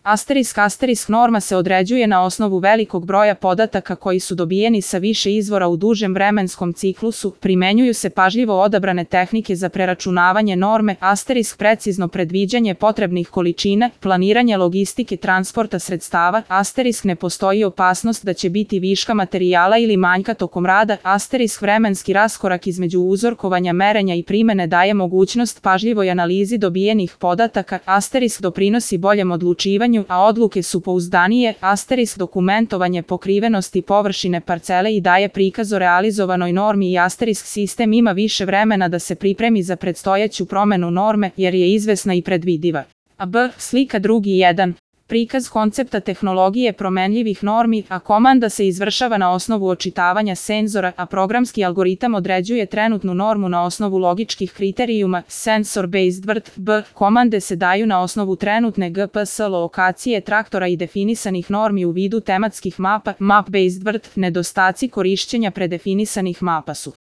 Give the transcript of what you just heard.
Asterisk norma se određuje na osnovu velikog broja podataka koji su dobijeni sa više izvora u dužem vremenskom ciklusu, primenjuju se pažljivo odabrane tehnike za preračunavanje norme, precizno predviđanje potrebnih količina, planiranje logistike transporta sredstava, ne postoji opasnost da će biti viška materijala ili manjka tokom rada, vremenski raskorak između uzorkovanja, merenja i primene daje mogućnost pažljivoj analizi dobijenih podataka, doprinosi boljem odlučivanju, a odluke su pouzdanije, dokumentovanje pokrivenosti površine parcele i daje prikaz o realizovanoj normi i sistem ima više vremena da se pripremi za predstojeću promenu norme jer je izvesna i predvidiva. Slika 2.1. Prikaz koncepta tehnologije promenljivih normi, a komanda se izvršava na osnovu očitavanja senzora, a programski algoritam određuje trenutnu normu na osnovu logičkih kriterijuma, sensor-based word, komande se daju na osnovu trenutne GPS lokacije traktora i definisanih normi u vidu tematskih mapa, map-based word, nedostaci korišćenja predefinisanih mapa su